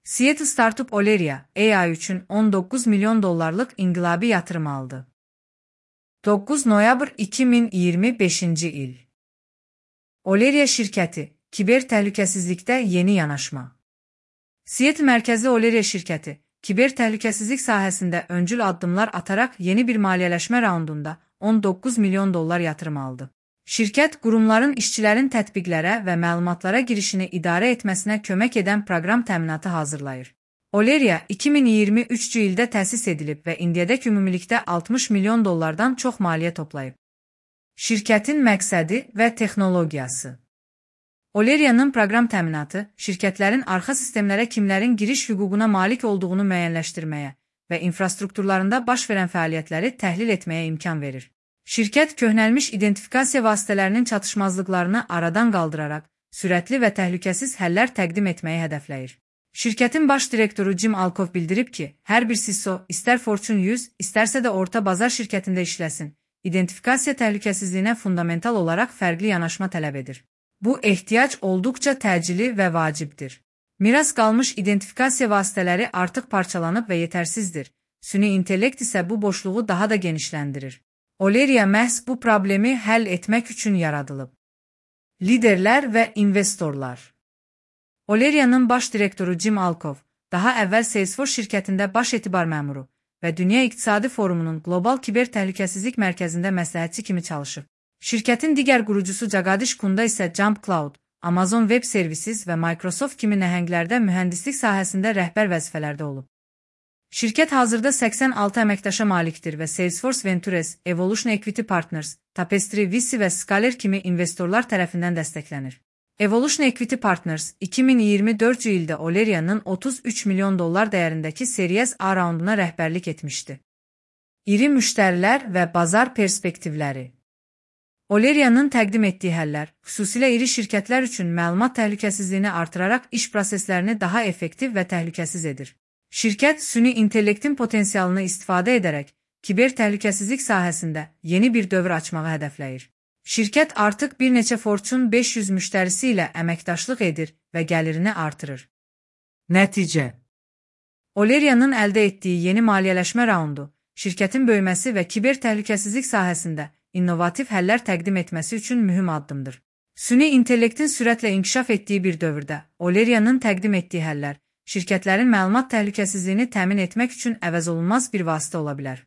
Seattle startup Oleria, AI üçün 19 milyon dollarlıq inqilabi yatırım aldı. 9 noyabr 2025-ci il. Oleria şirkəti, kiber təhlükəsizlikdə yeni yanaşma. Seattle mərkəzli Oleria şirkəti, kiber təhlükəsizlik sahəsində öncül addımlar ataraq yeni bir maliyyələşmə raundunda 19 milyon dollar yatırım aldı. Şirkət, qurumların işçilərin tətbiqlərə və məlumatlara girişini idarə etməsinə kömək edən proqram təminatı hazırlayır. Oleria 2023-cü ildə təsis edilib və indiyədək ümumilikdə 60 milyon dollardan çox maliyyə toplayıb. Şirkətin məqsədi və texnologiyası. Oleria'nın proqram təminatı, şirkətlərin arxa sistemlərə kimlərin giriş hüququna malik olduğunu müəyyənləşdirməyə və infrastrukturlarında baş verən fəaliyyətləri təhlil etməyə imkan verir. Şirkət, köhnəlmiş identifikasiya vasitələrinin çatışmazlıqlarını aradan qaldıraraq, sürətli və təhlükəsiz həllər təqdim etməyi hədəfləyir. Şirkətin baş direktoru Jim Alcoff bildirib ki, hər bir CISO, istər Fortune 100, istərsə də orta bazar şirkətində işləsin, identifikasiya təhlükəsizliyinə fundamental olaraq fərqli yanaşma tələb edir. Bu ehtiyac olduqca təcili və vacibdir. Miras qalmış identifikasiya vasitələri artıq parçalanıb və yetərsizdir. Süni intellekt isə bu boşluğu daha da genişləndirir. Oleria məhz bu problemi həll etmək üçün yaradılıb. Liderlər və investorlar. Oleria'nın baş direktoru Jim Alcoff, daha əvvəl Salesforce şirkətində baş etibar məmuru və Dünya İqtisadi Forumunun Qlobal Kiber Təhlükəsizlik Mərkəzində məsləhətçi kimi çalışıb. Şirkətin digər qurucusu Jagadish Kunda isə Jump Cloud, Amazon Web Services və Microsoft kimi nəhənglərdə mühəndislik sahəsində rəhbər vəzifələrdə olub. Şirkət hazırda 86 əməkdaşa malikdir və Salesforce Ventures, Evolution Equity Partners, Tapestry, VC və Scaler kimi investorlar tərəfindən dəstəklənir. Evolution Equity Partners 2024-cü ildə Oleria'nın 33 milyon dollar dəyərindəki Series A raunduna rəhbərlik etmişdi. İri müştərilər və bazar perspektivləri. Oleria'nın təqdim etdiyi həllər, xüsusilə iri şirkətlər üçün məlumat təhlükəsizliyini artıraraq iş proseslərini daha effektiv və təhlükəsiz edir. Şirkət, süni intellektin potensialını istifadə edərək, kiber təhlükəsizlik sahəsində yeni bir dövr açmağı hədəfləyir. Şirkət artıq bir neçə Fortune 500 müştərisi ilə əməkdaşlıq edir və gəlirini artırır. Nəticə. Oleria'nın əldə etdiyi yeni maliyyələşmə raundu, şirkətin böyüməsi və kiber təhlükəsizlik sahəsində innovativ həllər təqdim etməsi üçün mühüm addımdır. Süni intellektin sürətlə inkişaf etdiyi bir dövrdə, Oleria'nın təqdim etdiyi həllər, şirkətlərin məlumat təhlükəsizliyini təmin etmək üçün əvəzolunmaz bir vasitə ola bilər.